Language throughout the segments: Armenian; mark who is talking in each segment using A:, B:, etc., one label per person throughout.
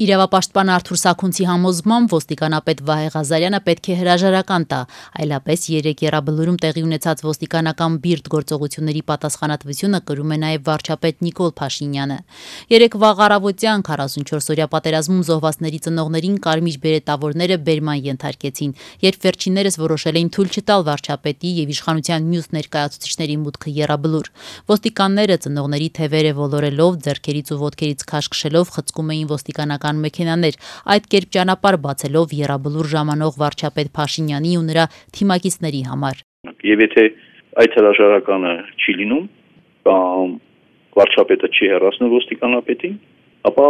A: Իրավապաշտպան Արթուր Սաքունցի համոզմամբ ոստիկանապետ Վահե Ղազարյանը պետք է հրաժարական տա, այլապես երեկ Եռաբլուրում տեղի ունեցած ոստիկանական բիրտ գործողությունների պատասխանատվությունը կրում է նաև վարչապետ Նիկոլ Փաշինյանը։ Երեկ վաղ առավոտյան 44-օրյա պատերազմում զոհվածների ծնողներին կարմիր բերետավորները բերման ենթարկեցին, երբ վերջիններս որոշել էին թույլ չտալ վարչապետի եւ իշխանության մյուս ներկայացուցիչների մուտքը Եռաբլուր։ Ոստիկանները ծնողների թևերը ոլորելով, ձեռքերից ու ոտքերից քաշ քշելով խցկում էին ոստիկանական մեքենաներ, այդ կերպ ճանապարհ բացելով Եռաբլուր ժամանող վարչապետ Փաշինյանի ու նրա թիմակիցների համար։
B: Եվ եթե այդ հրաժարականը չի լինում, կամ վարչապետը չի հեռացնում ոստիկանապետին, ապա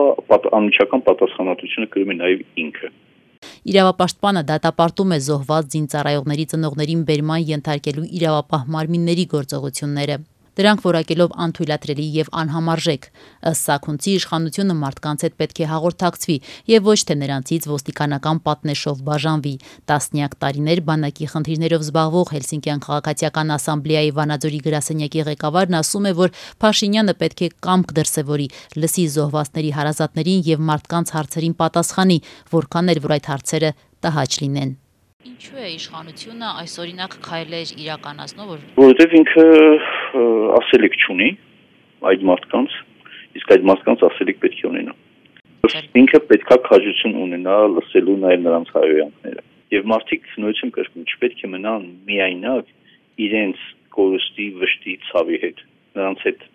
B: անմիջական պատասխանատվությունը կրում է նաև ինքը։
A: Իրավապաշտպանը դատապարտում է զոհված զինծառայողների ծնողներին բերման ենթարկելու իրավապահ մարմինների գործողությունները։ Դրանք որակելով անթույլատրելի եւ անհամարժեք։ Ըստ Սաքունցի իշխանությունը մարդկանց հետ պետք է հաղորդակցվի եւ ոչ թե նրանցից ոստիկանական պատնեշով բաժանվի։ Տասնյակ տարիներ բանակի խնդիրներով զբաղվող Հելսինկյան քաղաքացիական ասամբլեայի Վանաձորի գրասենյակի ղեկավարն ասում է, որ Փաշինյանը պետք է կամք դրսևորի, լսի զոհվածների հարազատներին եւ մարդկանց հարցերին պատասխանի, որքան էլ որ այդ հարցերը տհաճ լինեն։ Ինչու է իշխանությունը այսօրինակ քայլեր իրականացնում,
B: որովհետև ինքը ասելիք չունի այդ մարդկանց, իսկ այդ մարդկանց ասելիք պետք է ունենա։ Ինքը պետքա քաջություն ունենա լսելու նաև նրանց հայհոյանքները։ Եվ մարդիկ նույնիսկ կրկնում չպետք է մնան միայնակ իրենց կորուստի, վշտի, ցավի հետ։ Նրանց հետ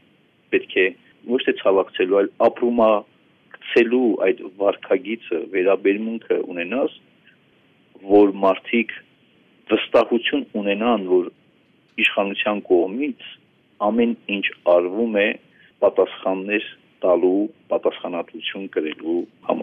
B: պետք է ոչ թե ցավակցելու, այլ ապրումա գցելու այդ վարքագիծը, վերաբերմունքը ունենաս, որ մարդիկ վստահություն ունենան, որ իշխանության կողմից ամեն ինչ արվում է պատասխաններ տալու, պատասխանատվություն կրելու համար։